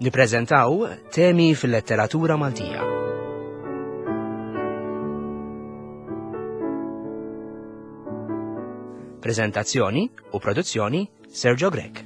Nippreżentaw temi fil-letteratura Maltija. Prezentazzjoni u produzzjoni Sergio Grech.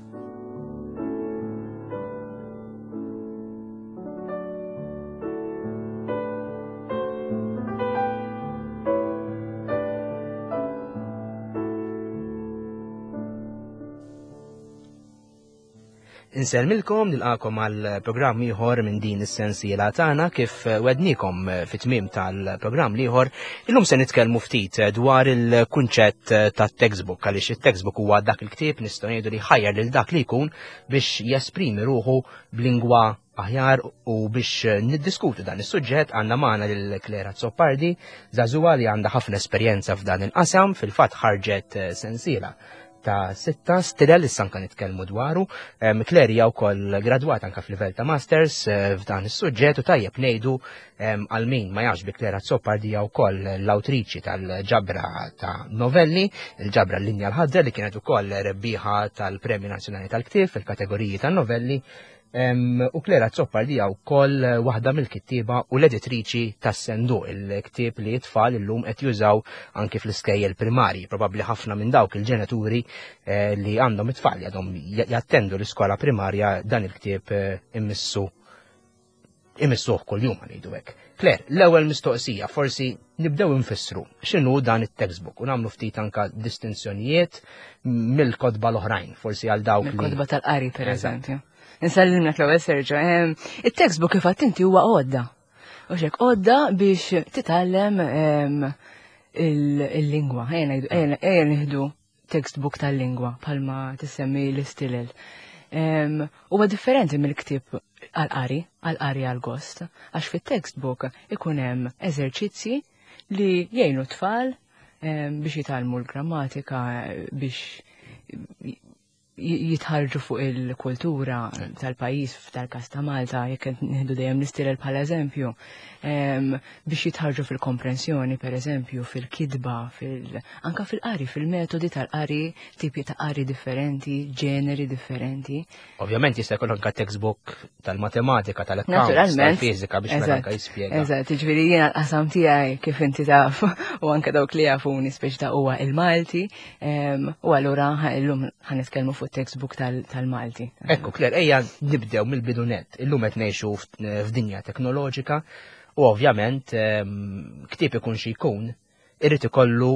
Insellmilkom nilqakom għal programm ieħor minn din is-sensiela tagħna kif wednikom fit-tmiem tal-programm l-ieħor. Illum se nitkellmu ftit dwar il-kunċett tat-textbook għaliex it-textbook huwa dak il-ktieb nistgħu ngħidu li ħajjar lil dak li jkun biex jesprimi ruħu b'lingwa aħjar u biex niddiskutu dan is-suġġett għandna magħna lil Claire Azzopardi, żagħżugħa li għandha ħafna esperjenza f'dan il-qasam, fil-fatt ħarġet sensiela ta' sitta stilel issa anka nitkellmu dwaru. Claire hija wkoll gradwata anka f'livell ta' masters eh, f'dan is-suġġett u tajjeb ngħidu għal min ma jafx bi Claire Azzopardi hija wkoll l-awtriċi tal-ġabra ta' novelli, il-ġabra Linja l-Ħadra li kienet ukoll rebbieħa tal-Premju Nazzjonali tal-Ktieb fil-kategoriji tan-novelli. U Claire Azzopardi hija wkoll waħda mill-kittieba u l-editriċi tas-Senduq, il-ktieb li t-tfal illum qed jużaw anki fl-iskejjel primarji. Probabbli ħafna minn dawk il-ġenituri eh, li għandhom it-tfal li għadhom jattendu l-iskola primarja dan il-ktieb eh, immissu imissuh kuljum ngħidu hekk. Claire, l-ewwel mistoqsija, forsi nibdew infissru x'inhu dan it-textbook u nagħmlu ftit anka distinzjonijiet mill-kotba l-oħrajn, forsi għal dawk. Mill-kotba tal-qari pereżempju. Insellimlek l-ewwel Sergio. Il-textbook kif għadt inti huwa għodda. U xek għodda biex titgħallem il-lingwa. Ejja nieħdu textbook tal-lingwa bħalma tissemmi l-istilel. Huwa differenti mill-ktieb għal-qari, għal-qari għal-gost, għax fit-textbook ikun hemm eżerċizzji li jgħinu tfal biex jitgħallmu l-grammatika, biex jitħarġu fuq il-kultura tal-pajjiż tal-każ ta' Malta, jekk qed nieħdu dejjem l-istilel bħala eżempju, biex jitħarġu fil-komprensjoni, per eżempju, fil-kitba, fil anka fil-qari, fil-metodi tal-qari, tipi ta' qari differenti, ġeneri differenti. Ovvjament jista' jkun anka textbook tal-matematika, tal-accounts, tal-fiżika biex mela anka jispjega. Eżatt, jiġifieri jiena l-qasam tiegħi kif inti taf u anke dawk li jafuni speċi ta' huwa il-Malti, u allura illum ħanitkellmu fuq textbook tal-Malti. Ekku, Claire, ejja nibdew mill-bidu nett. Illum qed ngħixu f'dinja teknoloġika u ovvjament ktieb ikun xi jkun irid ikollu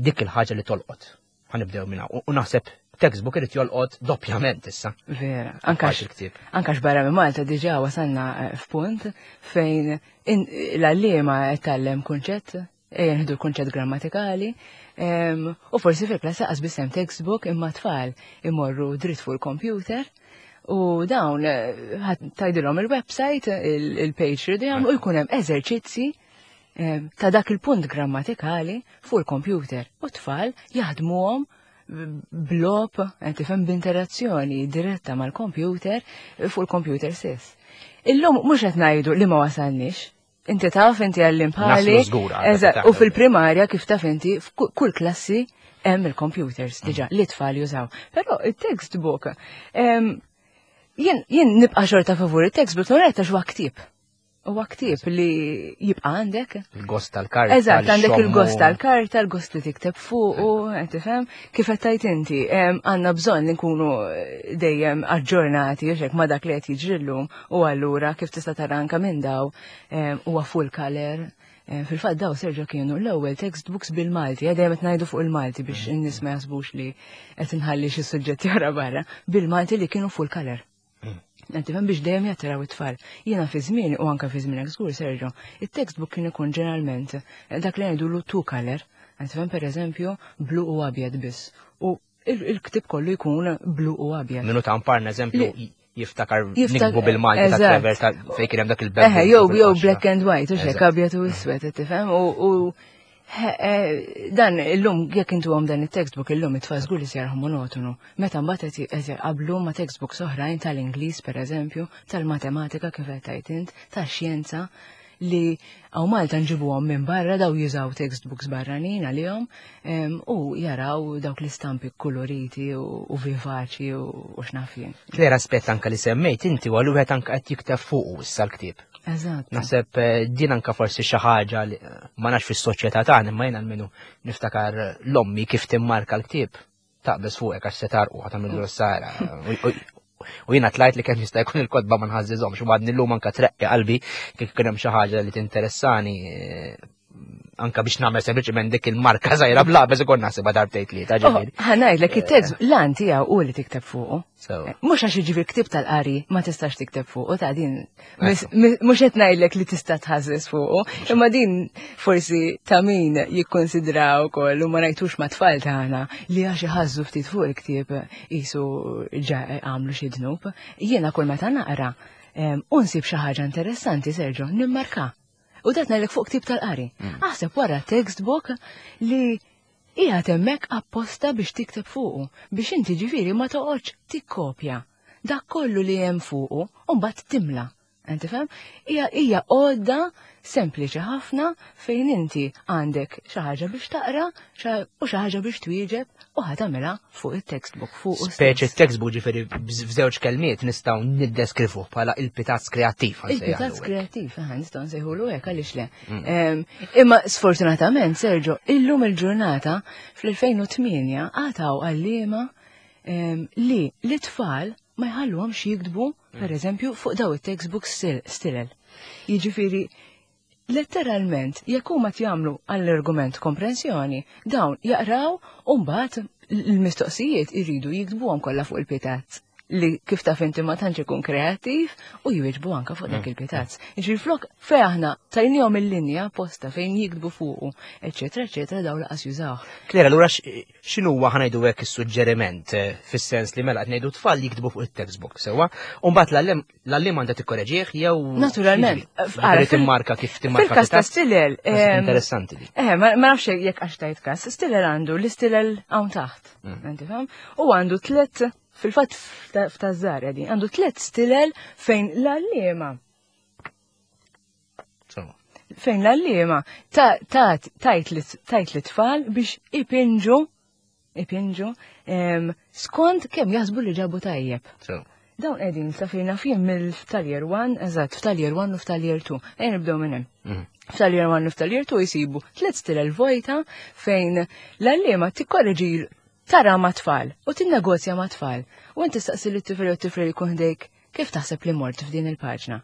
dik il-ħaġa li tolqot. Ħanibdew minna. U naħseb textbook irid jolqot doppjament issa. Vera, anka il-ktieb. Anka x'barra minn Malta diġà wasalna eh, f'punt fejn l-għalliema qed tgħallem kunċett, ejja nieħdu l-kunċett grammatikali, u forsi fil-klassi qas biss hemm textbook imma tfal imorru dritt fuq il-computer u dawn eh, tgħidilhom il-website, il-page li u jkun hemm eżerċizzi ta' dak il-punt grammatikali fuq il-computer u tfal jaħdmuhom blob, eh, tifhem b'interazzjoni diretta mal-computer fuq il-computer stess. Illum mhux qed ngħidu li ma wasalniex. Inti taf inti għallim bħali. U fil-primarja kif taf inti f'kull klassi hemm il-computers diġà li tfal jużaw. Però it-textbook jien nibqa' xorta favur it-textbook, torretta x'huwa ktieb. Huwa ktieb li jibqa' għandek. Il-gost tal-karta. Eżatt, għandek il-gost tal-karta, il-gost li tikteb fuq u tifhem kif qed tgħid inti. Għandna bżonn li nkunu eh, dejjem aġġornati u ma dak li qed jiġri llum u allura kif tista' tara anke minn daw huwa full color. Fil-fatt daw Sergio kienu l-ewwel textbooks bil-Malti, eh, dejjem qed ngħidu fuq il-Malti biex mm. in-nies ma jaħsbux li qed inħalli xi suġġetti oħra barra, bil-Malti li kienu full color. Qed tifhem biex dejjem jattiraw it-tfal. Jiena fi żmien u anke fi żmienek żgur Sergio, it-textbook kien ikun ġeneralment eh, dak li ngħidulu two color. Qed tifhem pereżempju blu u abjad biss. U il-ktib kollu jkun blu u abjad. Minu ta' mparna eżempju jiftakar nikbu bil-Malti ta' Trevor ta' fejn kien hemm dak il-beb. Eħe, jew jew black and white, u xek abjad u iswed, tifhem? U Eh, dan illum jekk intu għom dan it-textbook illum it-tfal żgur li se monotonu. Meta mbagħad qed jqablu ma' textbooks oħrajn tal-Ingliż pereżempju, tal-matematika kif qed tgħid int, tax-xjenza. li hawn Malta nġibuhom minn barra daw jużaw textbooks barranin għalihom u jaraw dawk l-istampi koloriti u vivaċi u x'naf jien. Claire aspett anka li semmejt inti u wieħed anka qed jikteb fuqu issa l-ktieb. Eżatt. Naħseb eh, din anka forsi xi ħaġa li eh, ma nafx fis-soċjetà tagħna imma jien almenu niftakar l-ommi kif timmarka l-ktieb taqbeż fuqek għax se tarqu ħa tagħmel sara. U jiena tlajt li kemm jista' jkun il-kotba ma nħażżiżhomx u għadni llum anka treqqi qalbi kif kien hemm xi ħaġa li tinteressani eh, anka biex nagħmel sempliċement dik il-marka żgħira bla beż ikun naħsibha darbtejn tlieta oh, ġifieri. Ħa ngħidlek it-text eh. lan tiegħu u li tikteb fuqu. Eh, mhux għax jiġifieri ktieb tal-qari ma tistax tikteb fuqu ta' din mhux qed ngħidlek li tista' tħażżeż fuqu, imma din forsi ta' min jikkonsidra wkoll u ma ngħidux ma' tfal tagħna li għax iħażżu ftit fuq il-ktieb qisu għamlu xi dnub. Jiena kull meta naqra u nsib xi ħaġa interessanti Sergio nimmarka. U dat ngħidlek fuq ktieb tal-qari. Mm. Aħseb wara textbook li qiegħed hemmhekk apposta biex tikteb fuqu, biex inti ġifieri ma toqgħodx tikkopja dak kollu li hemm fuqu u mbagħad timla. Inti fhem? Hija hija għodda sempliċi ħafna fejn inti għandek xi ħaġa biex taqra u xi ħaġa biex twieġeb u ħa tagħmilha fuq it-textbook fuq. Speċi textbook ġifieri f'żewġ kelmiet nistgħu niddeskrivuh bħala il-pitazz kreattiv. Il-pitazz kreattiv, aha, nistgħu nsejħulu hekk għaliex le. Mm. Imma sfortunatament, Sergio, illum il-ġurnata fl-2008 għataw għalliema li l-tfal ma jħalluhomx jiktbu, mm. per eżempju, fuq daw it-textbooks stilel. Jiġifieri, letteralment, jekk huma jagħmlu għall-argument komprensjoni, dawn jaqraw u mbagħad l-mistoqsijiet iridu jiktbuhom kollha fuq il-pitazz li kif taf inti ma tantx ikun kreattiv u jwieġbu anka fuq dak mm. il-pitazz. Jiġifieri flok fej aħna tajnihom il-linja posta fejn jiktbu fuqu, eċetera, eċetera, dawn laqas jużawh. Klera, allura x'inhuwa ħa ngħidu hekk is-suġġeriment eh, fis-sens li mela qed ngħidu tfal jiktbu fuq it-textbook sewwa, u mbagħad l-għalliem għandha tikkoreġih jew Naturalment. Ġifieri timmarka kif timmarka. Fil-każ ta' stilel. Interessanti di. Eh, ma nafx jekk għax tajt każ, stilel għandu l-istilel hawn taħt. Mm. U għandu tliet fil-fatt f'tażżar din, għandu tliet stilel fejn l-għalliema Fejn l-għalliema tajt li tfal biex ipinġu ipinġu skont kemm jaħsbu li ġabu tajjeb. Dawn qegħdin sa fejna fih mill-ftal-year 1, eżatt, ftal-year 1 u ftal-year 2. Ejja nibdew minn hemm. Mhm. Ftal-year 1 u ftal-year 2 jsibu tliet stilel vojta fejn l-għalliema tikkoreġi tara ma' tfal u tinnegozja ma' tfal. U inti staqsi lit-tifel jew tifel jkun ħdejk kif taħseb li mort f'din il-paġna.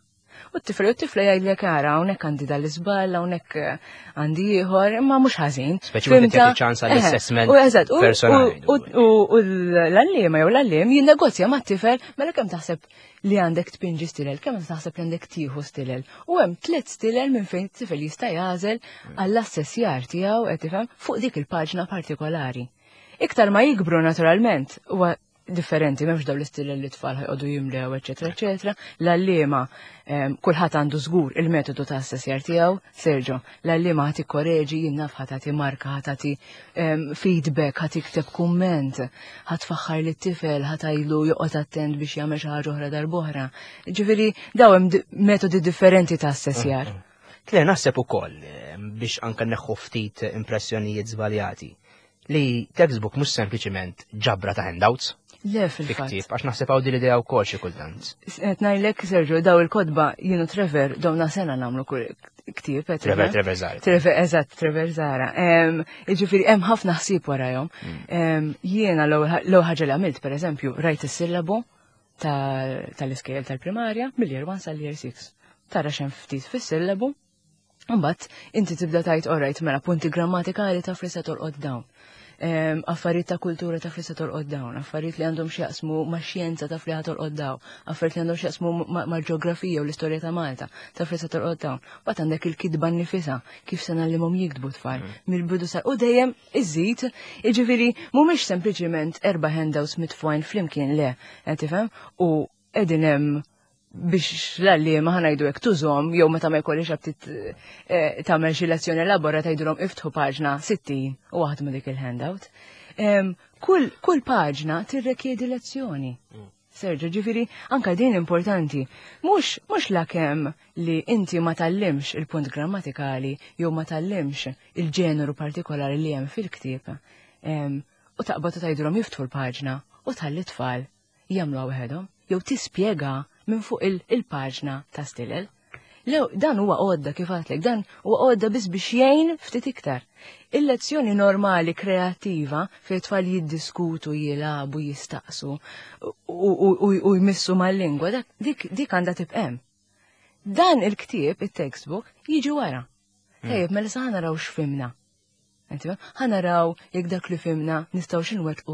U t-tifel u t-tifla jgħidlek ara hawnhekk għandi dal-iżball, hawnhekk eh, għandi ieħor, imma mhux ħażin. Speċi wieħed jagħti ċans għall-assessment. U eżatt, u l-għalliema jew l-għalliem jinnegozja mat-tifel mela kemm taħseb li għandek tpinġi stilel, kemm taħseb li għandek tieħu stilel. U hemm tliet stilel minn fejn t-tifel jista' jagħżel għall-assessjar tiegħu qed tifhem fuq dik il-paġna partikolari. Iktar ma jikbru naturalment, huwa differenti, m'hemmx dawn l-istilel li tfal ħajqogħdu jimlew, eċetera, eċetera. L-għalliema kulħadd għandu żgur il-metodu ta' assessjar tiegħu, Sergio, l-għalliema ħa tikkoreġi, jien naf ħa tagħti marka, ħa tagħti feedback, ħa tikteb kumment, ħa tfaħħar lit-tifel, ħa tgħidlu joqgħod attent biex jagħmel xi ħaġa oħra darb'oħra. Ġifieri daw hemm metodi differenti ta' assessjar. Mm, mm. Tle naħseb ukoll biex anke neħħu ftit impressjonijiet żbaljati li textbook mhux sempliċiment ġabra ta' handouts. Le fil-fatt. Għax naħseb hawn din l-idea wkoll xi kultant. Qed ngħidlek Sergio daw il-kotba jienu Trevor dawna sena nagħmlu kull ktieb. Trevor, Trevor Zara. Trevor, eżatt, Trevor Zara. Jiġifieri hemm ħafna ħsieb warajhom. Mm. Jiena l-ewwel ħaġa li għamilt pereżempju rajt is-sillabu tal-iskejjel tal-primarja mill-year 1 sal-year 6. Tara x'hemm ftit fis-sillabu Mbagħad inti tibda tajt orajt mela punti grammatikali taf li se tolqot dawn. Affarijiet ta' kultura taf li se tolqot dawn, affarijiet li għandhom x'jaqsmu ma' xjenza taf li tolqot dawn, affarijiet li għandhom x'jaqsmu mal-ġeografija u l-istorja ta' Malta taf li se tolqot dawn. Mbagħad għandek il-kitba nnifisha kif se ngħallimhom jiktbu tfal mm. mill-bidu sa u dejjem iżid, jiġifieri mhumiex sempliċiment erba' handouts mitfugħin flimkien le, qed tifhem? U qegħdin hemm biex l-għalliema ħa ngħidu hekk tużhom jew meta ma jkollix aptit eh, tagħmel xi lezzjoni elabora tgħidulhom iftħu paġna 60 u waħdmu dik il-handout. Kull, kull paġna tirrekjedi lezzjoni. Mm. Sergio, ġifieri anka din importanti. Mhux mhux lakemm li inti ma tgħallimx il-punt grammatikali jew ma tgħallimx il-ġeneru partikolari li hemm fil-ktieb. U taqbad u tgħidilhom jiftħu l-paġna u tħalli t-tfal jagħmluha waħedhom jew tispjega minn fuq il-paġna ta' stilel. Lew, dan huwa għodda kif għatlek, dan huwa għodda biss biex jgħin ftit iktar. Il-lezzjoni normali kreattiva fejn tfal jiddiskutu, jilagħbu, jistaqsu u jmissu mal-lingwa, dik għandha tibqa' hemm. Dan il-ktieb, it-textbook, jiġi wara. Tajjeb, mela sa naraw x'fhimna. Ħa naraw jekk dak li fhimna nistgħu x'inwettqu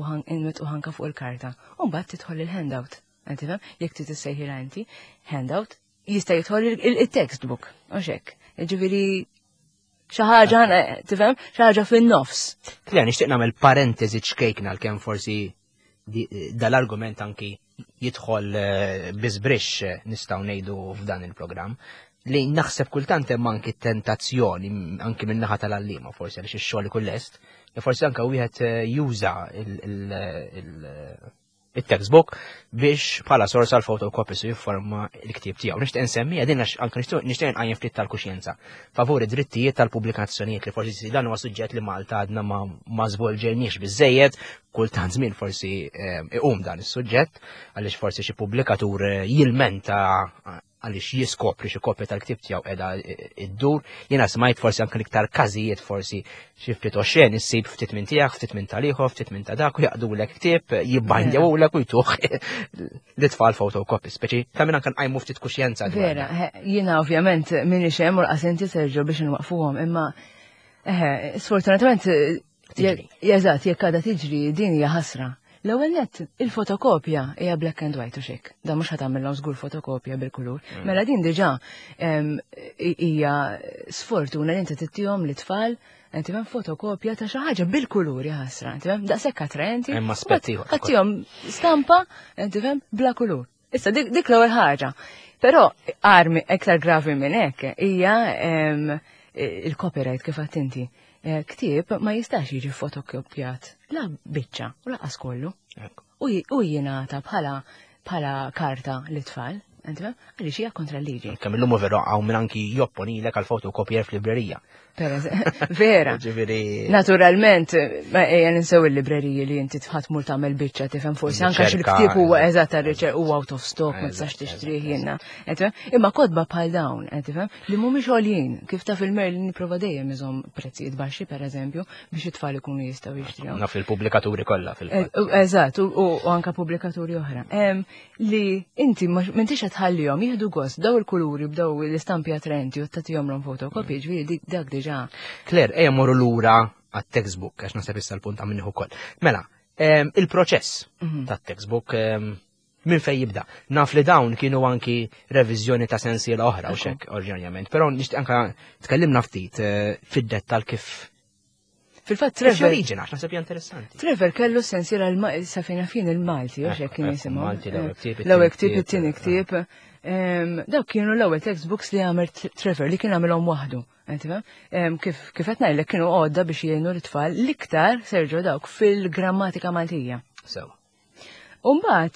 anka fuq il-karta. U mbagħad tidħol il-handout. Jekk trid issejħilha inti, handout, jista' jidħol il-textbook, u hekk. Ġifieri xi ħaġa, tifhem, xi ħaġa fin-nofs. Claire, nixtieq nagħmel parentesi ċkejkna għalkemm forsi dal-argument anki jidħol biżbrix nistgħu ngħidu f'dan il-programm li naħseb kultant hemm anki tentazzjoni anki min-naħa tal-għalliema forsi għaliex ix-xogħol ikun lest, li forsi anke wieħed juża il-textbook biex bħala sors għal fotocopies u jifforma l-ktieb tiegħu. Nixtieq insemmi din għax anke nixtieq nqajjem ftit tal-kuxjenza favur id-drittijiet tal-pubblikazzjonijiet li forsi dan huwa suġġett li Malta għadna ma żvolġejniex biżejjed, kultant żmien forsi iqum dan is-suġġett għaliex forsi xi pubblikatur jilmenta għaliex jiskopri xi kopja tal-ktieb tiegħu qiegħda iddur. Jiena smajt forsi anke l-iktar każijiet forsi xi ftit oxxen issib ftit minn tiegħek, ftit minn tal-ieħor, ftit minn ta' dak u jaqdulek ktieb, jibbandjawlek u jtuh l-itfal photocopy, speċi ta' minn anke nqajmu ftit kuxjenza dwar Vera, dan. jiena ovvjament minix hemm u laqas inti Sergio biex nwaqfuhom, imma sfortunatament Tiġri. Eżatt, jekk għadha tiġri din hija ħasra. L-ewwel nett, il-fotokopja hija black and white u xek. Da mhux ħa tagħmilhom żgur fotokopja bil-kulur. Mela din diġà hija sfortuna li inti tittihom lit-tfal, inti fhem fotokopja ta' xi ħaġa bil-kulur hija ħasra, inti fhem daqshekk attraenti. Hemm aspett ieħor. Ħattihom stampa, inti fhem bla kulur. Issa dik l-ewwel ħaġa. Però armi iktar gravi minn hekk hija il-copyright kif għedt inti. Ktieb ma jistax jiġi fotokopjat la biċċa u laqas kollu. U jingħata bħala karta lit-tfal, inti fhem? Għaliex hija kontra l-liġi. Kemm illum veru hawn min anki jopponilek għal fotokopier f'librerija. Vera. Ġifieri Naturalment, ma ejja ninsew il-libreriji li inti tħadd mur tagħmel biċċa tifhem forsi anke xi ktieb huwa eżatt tar-riċerka huwa out of stock ma tistax tixtrih jiena. Imma kotba bħal dawn, tifhem, li mhumiex għoljin, kif taf il-Merlin nipprova dejjem iżomm prezzijiet baxxi pereżempju biex it-tfal ikunu jistgħu jixtrihom. Naf il-pubblikaturi kollha fil-fatt. Eżatt, u anke pubblikaturi oħra. Li inti m'intix qed tħallihom jieħdu gost b'daw il-kuluri, b'daw l-istampi attraenti u tagħtihom fotokopji, ġifieri dak diġà. Claire, ejja morru lura għat-textbook, għax naħseb issa l-punt għamilnieh ukoll. Mela, il-proċess tat-textbook minn fej jibda. Naf li dawn kienu anki reviżjoni ta' sensiela oħra u xek oriġinarjament, però nixtieq anka tkellimna ftit fid-dettal kif Fil-fatt Kif Trevor joriġina, għax naħseb hija interessanti. Trevor kellu sensiela sa fejn fin il-Malti, u xek kien jisimhom. Malti l-ewwel ktieb, L-ewwel it-tieni ktieb, ktieb, it-tieni ktieb. Dawk kienu l-ewwel textbooks li għamel Trevor li kien għamilhom waħdu. Inti fhem? Kif qed ngħidlek kienu għodda biex jgħinu l-tfal l-iktar Sergio dawk fil-grammatika Maltija. Sew. U mbagħad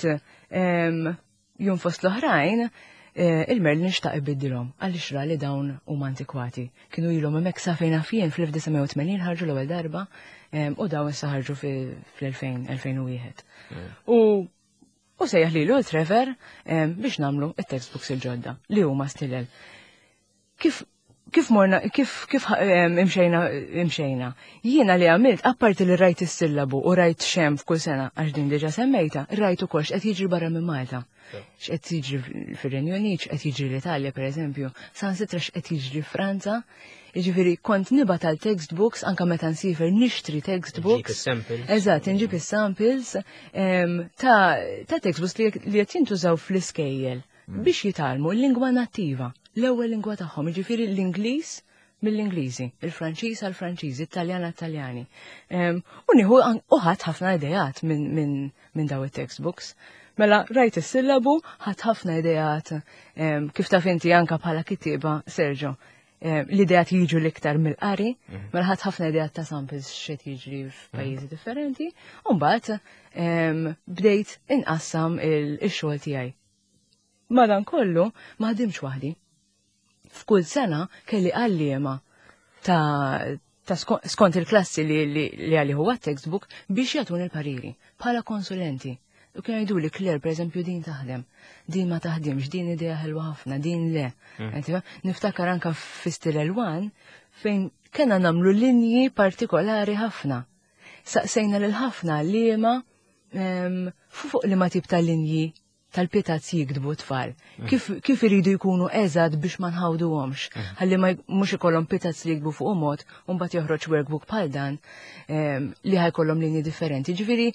jum fost l-oħrajn, il-Merlin xtaq ibiddilhom għaliex ra li dawn huma antikwati. Kienu ilhom hemmhekk sa fejn fien fl-1980 ħarġu l-ewwel darba, u dawn issa ħarġu fl-2000, 2001. U sejjaħ lilu Trevor biex nagħmlu it-textbooks il-ġodda li huma stilel. Kif kif morna, kif, kif, imxejna, imxejna. Jiena li għamilt, apparti li rajt is-sillabu u rajt xem f'kull sena, għax din diġa semmejta, rajt ukoll x'qed jiġri barra minn Malta. X'qed jiġri fir-Renju Unit, x'qed jiġri l-Italja, per eżempju, saħansitra x'qed jiġri Franza. Jiġifieri kont nibgħat għal textbooks anka meta nsifer nixtri textbooks. Nġib is-samples. Eżatt, nġib is-samples ta' textbooks li qed jintużaw fl-iskejjel biex jitgħallmu l-lingwa nattiva, l-ewwel lingwa tagħhom, jiġifieri l-Ingliż mill-Ingliżi, il-Franċiż għall-Franċiżi, it-Taljan għat-Taljani. U nieħu u ħadd ħafna idejat minn daw it-textbooks. Mela rajt is-sillabu, ħadd ħafna idejat, kif taf inti anka bħala kittieba, Sergio. L-ideat jiġu l-iktar mill-qari, mela ħadd ħafna ideat ta' samples x'qed jiġri f'pajjiżi differenti, u mbagħad bdejt inqassam il-xogħol tiegħi. Madankollu ma ħdimx waħdi. F'kull sena kelli għalliema ta' ta' skont il-klassi li li għalih huwa textbook biex jagħtuni l-pariri bħala konsulenti. U kienu jgħidu li Claire, per eżempju, din taħdem, din ma taħdimx, din idea ħelwa ħafna, din le. Niftakar anka fi Stilel One fejn kena namlu linji partikolari ħafna. Saqsejna lil ħafna għalliema fuq li ma tip ta' linji tal-pitazz jiktbu tfal. Kif, kif iridu jkunu eżatt biex ma nħawduhomx. Ħalli ma mhux ikollhom pitazz li jiktbu fuq mod u mbagħad joħroġ workbook bħal dan li ħajkollhom linji differenti. Ġifieri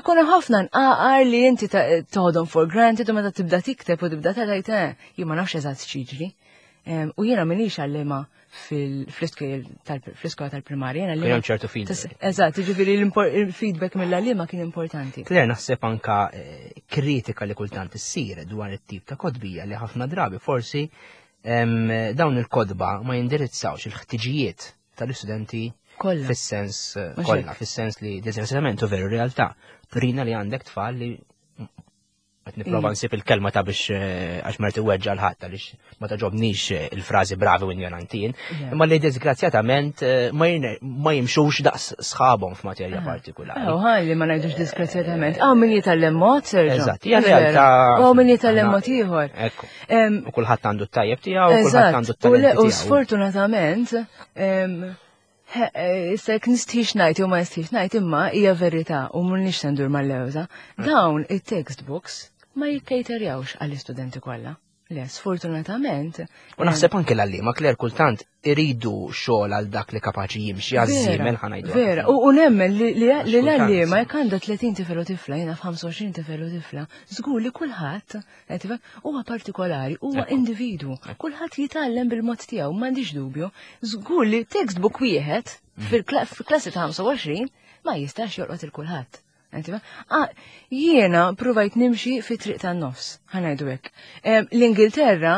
ikun ħafna nqaqar li inti toħodhom for granted u meta tibda tikteb u tibda tgħid jien ma nafx eżatt x'jiġri. U jiena m'iniex għallima fl-iskola tal-primarja. Jiena Kien hemm ċertu feedback. Eżatt, ġifieri l-feedback mill-għalliema kien importanti. Claire, naħseb anka kritika li kultant issir dwar it-tip ta' kotbija li ħafna drabi forsi dawn il-kotba ma jindirizzawx il-ħtiġijiet tal-istudenti Kollha. fis-sens Mhux kollha, hekk. fis-sens li disgrazzjatament u veru realtà turina li għandek tfal li qed nipprova nsib il-kelma ta' biex għax merti weġġa l-ħadd għaliex ma taġobnix il-frażi bravi u ignorantin, imma li disgrazzjatament ma jimxux daqs sħabhom f'materja partikolari. Oh, ħalli ma ngħidux disgrazzjatament. Hawn min jitgħallem mod, Sergio. Eżatt, hija realtà. Hawn min jitgħallem mod ieħor. Ekku. U kulħadd għandu t-tajjeb tiegħu, u kulħadd għandu t-talenti U tiegħu. sfortunatament, issa jekk nistħix ngħid jew ma nistħix ngħid, imma hija verità u mhux se ndur mal-lewża. Dawn it-textbooks ma jikkejterjawx għall-istudenti kollha. Le, sfortunatament. U naħseb anke l-għalliema, Claire, kultant iridu xogħol għal dak li kapaċi jimxi għaż-żiemel ħa ngħidu. Vera, u nemmen li Għax kultant. l-għalliema jekk għandha 30 tifel u tifla, jiena f'25 tifel u tifla, żgur li kulħadd, qed tifhem, huwa partikolari, huwa individwu. Kulħadd jitgħallem bil-mod tiegħu, m'għandix dubju. Żgur li textbook wieħed fil-klassi ta' 25 ma jistax jolqot il kulħadd. Jiena provajt nimxi fi triq tan-nofs, ħa ngħidu hekk. L-Ingilterra,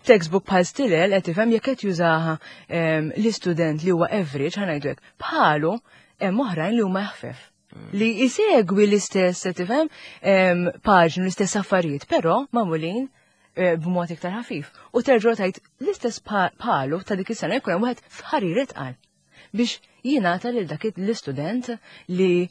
textbook bħal Stilel, qed tifhem, jekk qed jużaha l-istudent li huwa average, ħa ngħidu hekk, bħalu hemm oħrajn li huma ħfef. Li jisegwi l-istess, qed tifhem, paġni, l-istess affarijiet, però magħmulin b'mod iktar ħafif. U terġa' tgħid l-istess bħalu ta' dik is-sena jkun hemm wieħed f'ħarir itqal biex jingħata lil dak l-istudent li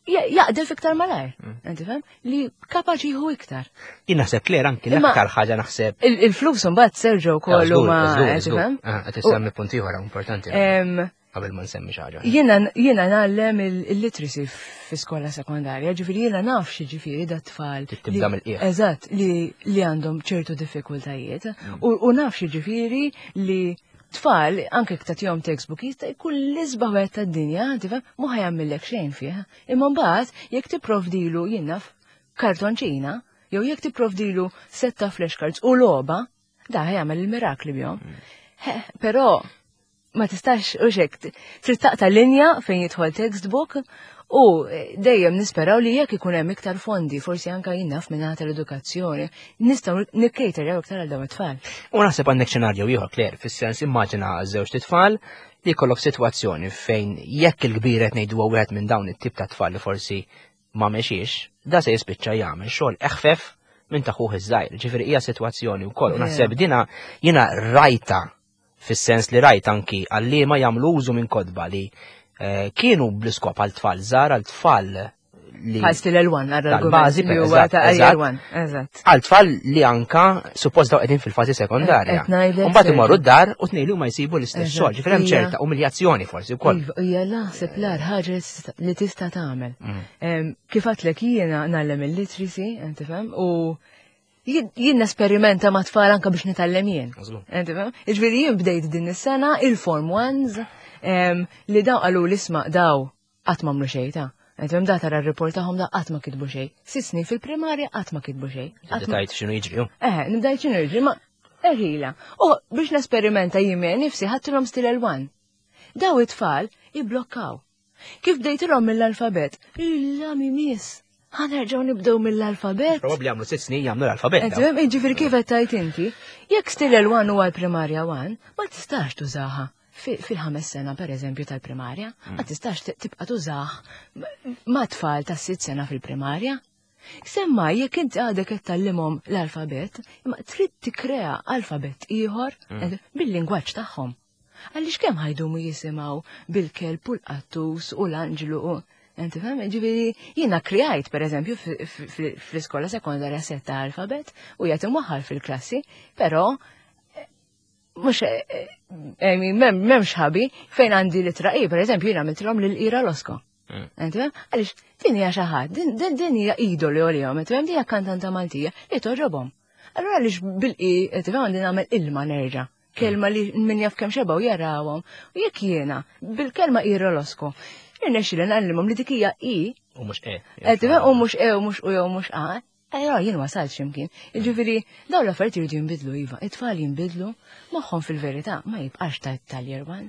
jaqdef iktar malajr, inti fhem? Li kapaċi jieħu iktar. Jien naħseb Claire anki Imma l-aktar ħaġa naħseb il-flus imbagħad Sergio wkoll huma, inti fhem? Ah, qed issemmi punt ieħor importanti. Qabel ma nsemmi xi ħaġa. Jiena ngħallem il-literacy fi skola sekondarja, ġifieri jiena naf xi ġifieri da tfal Trid tibda li mill-qiegħ. Eżatt, li għandhom ċertu diffikultajiet. U naf xi ġifieri li tfal, anke jekk tagħtihom textbook, jista' jkun l-isbaħ wieħed tad-dinja, tifhem, mhu ħajamillek xejn fih. Imma mbagħad jekk tipprovdilu jien naf kartonċina, jew jekk tipprovdilu set ta' flashcards u logħba, da ħajamel il-mirakli bihom. Però ma tistax u xek, trid taqta' linja fejn jidħol textbook u dejjem nisperaw li jekk ikun hemm iktar fondi, forsi anka jien naf minn naħa tal-edukazzjoni, nistgħu nikkejterjaw iktar għal dawn it-tfal. U naħseb għandek xenarju ieħor, Claire, fis-sens immaġina żewġ tfal li jkollok sitwazzjoni fejn jekk il-kbir qed ngħidu huwa wieħed minn dawn it-tip ta' tfal li forsi ma mexiex, da se jispiċċa jagħmel xogħol eħfef minn ta' ħuh iż-żgħir. Ġifieri hija sitwazzjoni wkoll. U naħseb dina jiena rajta fis-sens li rajt anki għalliema jagħmlu użu minn kotba li kienu bl-iskop għal tfal żgħar, għal tfal li Bħal stil L1, għal tal-bażi, argument li huwa eżatt, ta' eżatt. L1, eżatt. Għal tfal li anka suppost daw qegħdin fil-fażi sekondarja. Qed ngħidlek U mbagħad imorru Sergio. d-dar u tnejn li huma jsibu l-istess Eżatt, xogħol, ġifieri hemm hija ċerta umiljazzjoni forsi wkoll. Iva, hija naħseb l-agħar ħaġa li tista' tagħmel. Kif għadtlek jiena ngħallem il-literacy, inti fhem, u jien nesperimenta ma' tfal anka biex nitgħallem jien. Inti fhem? Jiġifieri jien bdejt din is-sena il-form ones, li daw qalu li isma' daw qatt m'għamlu xejn ta'. Inti fhem, da tara r-report tagħhom da qatt ma kitbu xejn. 6 snin fil-primarja qatt ma kitbu xejn. Tibda tgħid x'inhu jiġri, hu. Nibda ngħid x'inhu jiġri, ma erħila. U biex nesperimenta jien miegħi nifsi ħadtilhom stil L1. Daw it-tfal iblokkaw. Kif bdejtilhom mill-alfabet? Illa mi miss. Ħa nerġgħu nibdew mill-alfabet. Probabbli jagħmlu sitt snin jagħmlu l-alfabet. Jiġifieri kif qed tgħid inti, jekk Stilel 1 huwa l-primarja 1, ma tistax tużaha fil-ħames sena per eżempju tal-primarja, ma tistax tibqa' tużah ma' tfal ta' sitt sena fil-primarja. Semma jekk inti għadek qed tgħallimhom l-alfabet, imma trid tikkrea alfabet ieħor bil-lingwaġġ tagħhom. Għaliex kemm ħa jdumu jisimgħu bil-kelb u l-qattus u l-anġlu u Inti fhem? Ġifieri jiena krejajt pereżempju fl-iskola sekondarja setta alfabet u jgħid imwaħħal fil-klassi, però mhux m'hemmx ħabi fejn għandi litra I, pereżempju jiena għamiltilhom lil Ira Losco. Inti fhem? Għaliex din hija xi ħadd, din hija idolu għalihom, inti fhem? Din hija kantanta Maltija li togħġobhom. Allura għaliex bil-I, inti fhem, għandi nagħmel ilma nerġa'. Kelma li min jaf kemm xebgħu jarawhom. U jekk jiena bil-kelma Ira Losco, irnexxieli ngħallimhom li dik hija I. U mhux E. Qed tifhem? U mhux E u mhux U jew mhux A. Ejja, jien wasalt x'imkien. Jiġifieri dawn l-affarijiet iridu jinbidlu iva, it-tfal jinbidlu, moħħhom fil-verità ma jibqax tal-year one.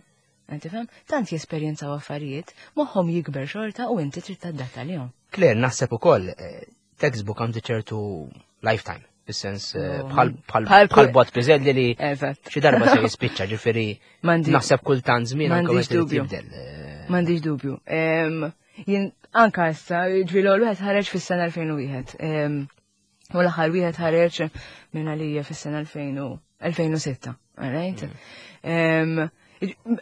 Qed tifhem? Tant jesperjenzaw affarijiet, moħħhom jikber xorta u inti trid tadatta lihom. Claire, naħseb ukoll textbook għandu ċertu lifetime, fis-sens bħal bot piżelli li xi darba se jispiċċa, ġifieri naħseb kultant żmien anke M'għandix dubju. M'għandix dubju. Jien anka issa, ġifieri l-ewwel wieħed ħareġ fis-sena 2001. U l-aħħar wieħed ħareġ minn għalija fis-sena 2006, all right?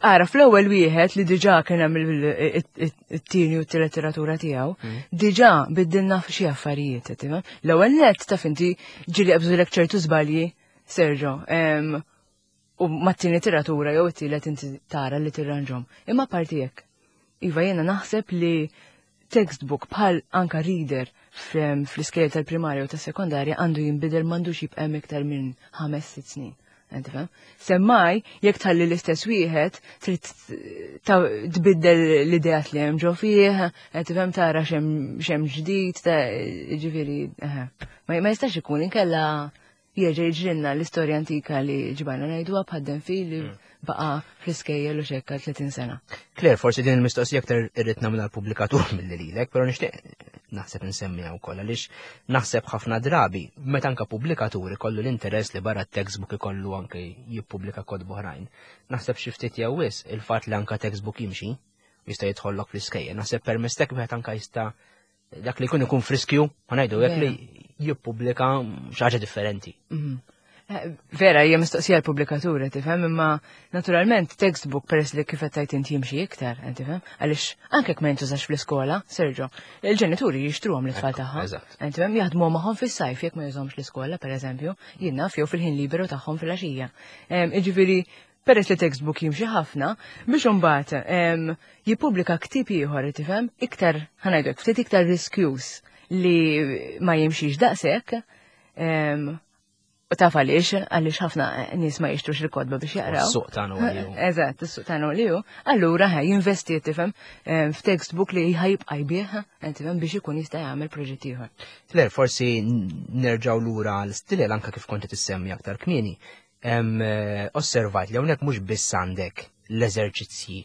Ara, fl-ewwel wieħed li diġà kien hemm it-tieni u t-letteratura tiegħu, diġà biddilna xi affarijiet, tifhem? L-ewwel nett taf inti ġieli qabżulek ċertu żbalji, Sergio, u mat-tieni tiratura jew it-tielet inti tara li tirranġhom. Imma parti hekk. Iva, jiena naħseb li textbook bħal anka reader fl-iskejjel tal-primarja u tas-sekondarja għandu jinbidel, m'għandux jibqa' hemm iktar minn 5-6 snin. Inti fhem? Semmaj, jekk tħalli l-istess wieħed, trid tbiddel l-ideat li hemm ġo fih, inti fhem, tara x'hemm ġdid, ġifieri, eħe. Ma jistax ikun inkella jerġa' jiġrilna l-istorja antika li ġbajna ngħiduha bħad fil li baqa' fl-iskejjel u xekka 30 sena. Claire, forsi din il-mistoqsija aktar irrid nagħmilha l-pubblikatur milli lilek, però nixtieq naħseb insemmiha wkoll għaliex naħseb ħafna drabi meta anke pubblikatur ikollu l-interess li barra t-textbook ikollu anke jippubblika kotba oħrajn. Naħseb xi ftit jew wisq il-fatt li anke textbook jimxi jista' jidħollok fl-iskejjel. Naħseb permezz tek wieħed anke jista' dak li jkun ikun friskju, ma ngħidu hekk li jippubblika xi ħaġa differenti. Vera, hija mistoqsija l-pubblikaturi, tifhem, imma naturalment textbook peress li kif qed tgħid inti jimxi iktar, tifhem, għaliex anke jekk ma jintużax fl-iskola, Sergio, il-ġenituri jixtruhom l-tfal tagħhom. Tifhem, jaħdmu magħhom fis-sajf jekk ma jużhomx l-iskola, pereżempju, jien naf jew fil-ħin liberu tagħhom fil-għaxija. Jiġifieri, peress li textbook jimxi ħafna, biex imbagħad jippubblika ktieb ieħor, tifhem, iktar, ħa ngħidu hekk, ftit iktar riskjuż li ma jimxix daqshekk, u taf għaliex, għaliex ħafna nies ma jixtrux il-kotba biex jaqraw. Is-suq tagħna huwa li hu. Eżatt, is-suq tagħna li hu. Allura ħa jinvesti, tifhem, f'textbook li ħajibqa' jbigħ, tifhem, biex ikun jista' jagħmel proġett ieħor. Claire, forsi nerġgħu lura għal stilel anke kif kont qed issemmi aktar kmieni. Osservajt li hawnhekk mhux biss għandek l-eżerċizzji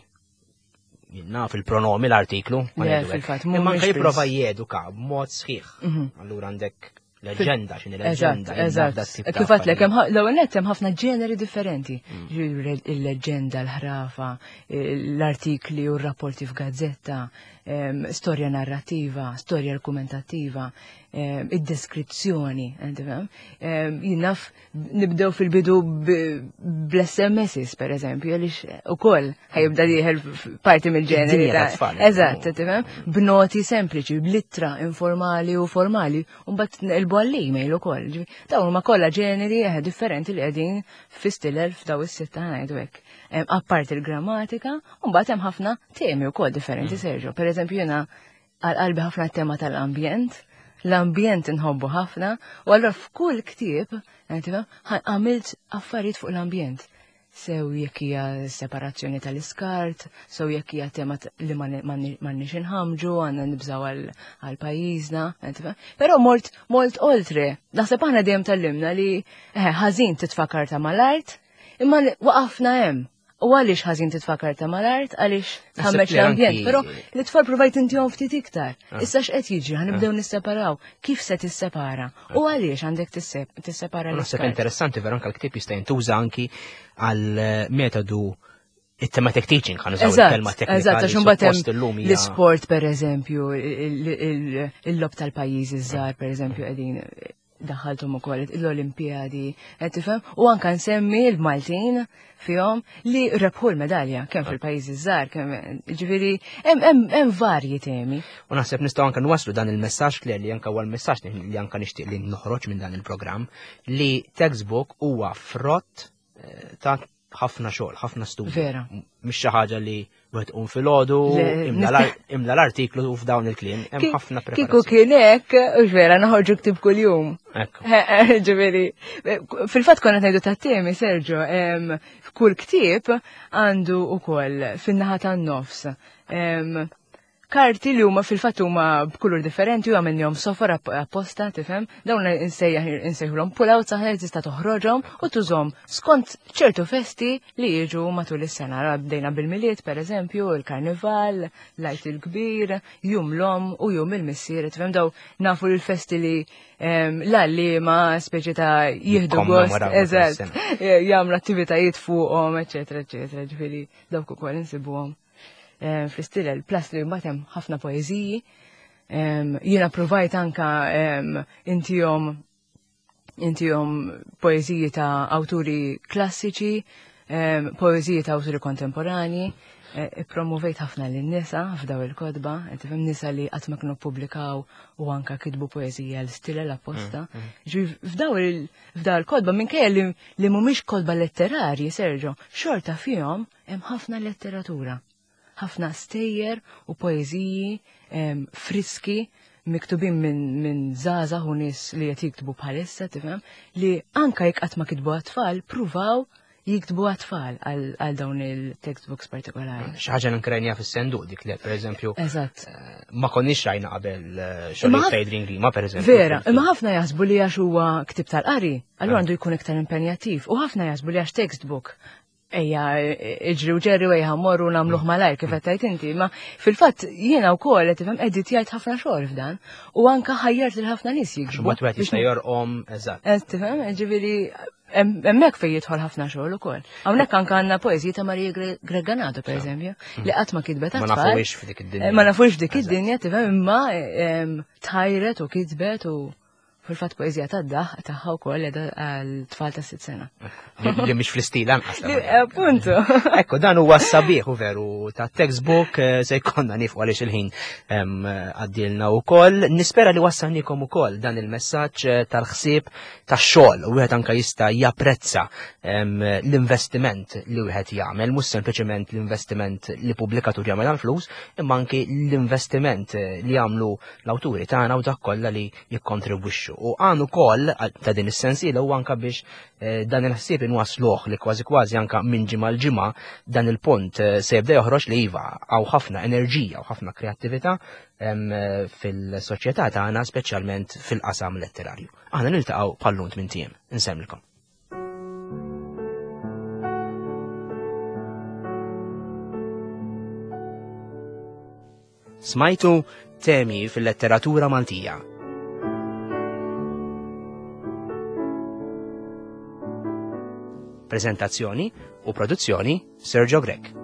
naf il-pronomi l-artiklu, ma Le, ngħidu hekk. fil-fatt, Imma mhumiex anke jipprova biss. jeduka b'mod sħiħ. Allura għandek leġenda, x'inhi leġenda, jien naf dat tip ta' Kif għedtlek, affarijiet. l-ewwel nett hemm ħafna ġeneri differenti. Ġifieri il-leġenda, l-ħrafa, l-artikli u r-rapporti f'gazzetta, storja narrativa, storja argumentattiva, id-deskrizzjoni, inti fhem? Jien naf nibdew fil-bidu bl-S M Ss, per eżempju, għaliex ukoll ħajibda dieħel parti mill-ġeneri Id-dinja ta' tat-tfal, Eżatt, tifhem? B'noti sempliċi, b'littra informali u formali, u mbagħad nqilbu għall-email ukoll. Ġifieri, dawn huma kollha ġeneri differenti li qegħdin fi stilel f'daw is-sitta ngħidu hekk. Apparti il-grammatika, u mbagħad hemm ħafna temi wkoll differenti, Sergio. Per eżempju, jiena għal qalbi ħafna tema tal-ambjent, l-ambjent inħobbu ħafna, u allura f'kull ktieb, tifhem, għamilt affarijiet fuq l-ambjent. Sew jekk hija separazzjoni tal-iskart, sew jekk hija tema li m'għandniex inħamġu, għandna nibżgħu għal pajjiżna, tifhem? Però mort oltre. Naħseb aħna dejjem tallimna li ħażin titfa' karta mal-art, imma waqafna hemm. U għaliex ħażin titfa' karta mal-art, għaliex tħammeġ l-ambjent, però l-itfal provajt intihom ftit iktar. Ah. Issa x'qed jiġri, ħanibdew ah. nisseparaw. Kif se tissepara? U ah. għaliex għandek tissepara l Naħseb interessanti vera anke l-ktieb jista' jintuża anki għal eh, metodu it-thematic teaching ħan użaw il-kelma teknika. Eżatt, għax imbagħad hemm l-isport pereżempju, il-lob tal-pajjiżi żgħar pereżempju qegħdin daħħalthom ukoll l-Olimpijadi, qed tifhem? U anka nsemmi l-Maltin fihom li rebħu l-medalja kemm fil-pajjiżi żgħar, kemm ġifieri hemm varji temi. U naħseb nistgħu anke nwaslu dan il-messaġġ li li anke huwa l-messaġġ li anke nixtieq li noħroġ minn dan il-programm li textbook huwa frott eh, ta' ħafna xogħol, ħafna studju. Vera. Mhix xi ħaġa li wieħed qum filgħodu, imla l-artiklu u f'dawn il-kliem, hemm ħafna preparazzjoni. Kieku kien hekk, hux vera, noħorġu ktib kuljum. Ekku. Ġifieri, fil-fatt konna ngħidu tat-temi, Sergio, kull ktieb għandu ukoll fin-naħa tan-nofs Karti li huma fil-fatt huma b'kulur differenti u għamilnihom sofor apposta, tifhem? Dawn insejjaħ insejħulhom pull-outs aħna li tista' toħroġhom u tużhom skont ċertu festi li jiġu matul is-sena. Bdejna bil-Milied pereżempju, il-Karnival, l-Għid il-Kbir, Jum l-Omm u Jum il-Missier, tifhem? Daw nafu l-festi li ehm, l-għalliema speċi ta' jieħdu gost, eżatt, jagħmlu attivitajiet fuqhom, eċetera, eċetera, ġifieri dawk ukoll insibuhom. Eh, fl-istilel, plus li mbagħad hemm ħafna poeżiji. Jiena provajt anka intihom intihom poeżiji ta' awturi klassiċi, poeżiji ta' awturi kontemporani, eh, promovejt ħafna lin nisa f'daw il-kodba, tifhem nisa li qatt ma kienu ppubblikaw u anka kitbu poeżija l-istilel apposta. Mm, mm. F'daw il-kodba minkejja li mhumiex kodba letterarji, Sergio, xorta fihom Hemm ħafna letteratura, ħafna stejjer u poeżiji friski miktubin minn min żgħażagħ u nies li qed jiktbu bħalissa, tifhem, li anka jekk qatt ma kitbu għat-tfal, pruvaw jiktbu għat-tfal għal dawn il-textbooks partikolari. Xi ħaġa nkrajnija fis-senduq dik li pereżempju. Eżatt. Eh, ma konniex rajna qabel eh, xogħol ta' Grima pereżempju. Vera, imma ħafna jaħsbu li għax huwa ktib tal-qari, allura eh. għandu jkun iktar impenjattiv u ħafna jaħsbu li għax textbook ejja iġri u ġerri u ejja morru nagħmluh malajr kif qed tgħid inti, ma fil-fatt jiena wkoll qed tifhem editjajt ħafna xogħol f'dan u anka ħajjart lil ħafna nies jiktbu. Mbagħad wieħed jista' jorqom eżatt. Qed tifhem, ġifieri hemmhekk fejn jidħol ħafna xogħol ukoll. Hawnhekk anke għandna poeżiji ta' Maria Greganato pereżempju, mm. li qatt ma kitbet Ma nafux f'dik id-dinja. Ma nafux f'dik id-dinja, tifhem imma tħajret u kitbet u Fil-fatt poeżija ta' daħ tagħha wkoll qiegħda għal tfal ta' sitt sena. Li mhix fl-istil anqas. Appuntu. Ekku dan huwa sabiħ u veru ta' textbook eh, se jkollna nifqu għaliex il-ħin għaddilna wkoll. Nispera li wassalnikom ukoll dan il-messaġġ eh, tal-ħsieb tax-xogħol u wieħed anke jista' japprezza l-investiment li wieħed jagħmel, mhux sempliċement l-investiment li pubblikatur jagħmel għall-flus, imma anki l-investiment eh, li jagħmlu l-awturi tagħna u dak kollha li jikkontribwixxu. U għan ukoll ta' din is-sensiela huwa anka biex eh, dan il-ħsieb inwasluh li kważi kważi anka minn ġimgħa l-ġimgħa dan il-punt eh, se jibda joħroġ li iva hawn ħafna enerġija u ħafna kreattività eh, fil-soċjetà tagħna speċjalment fil-qasam letterarju. Aħna niltaqgħu bħal-lunt minn tiem. Insemmilkom. Smajtu temi fil-letteratura Maltija. Prezentazzjoni u produzzjoni Sergio Grech.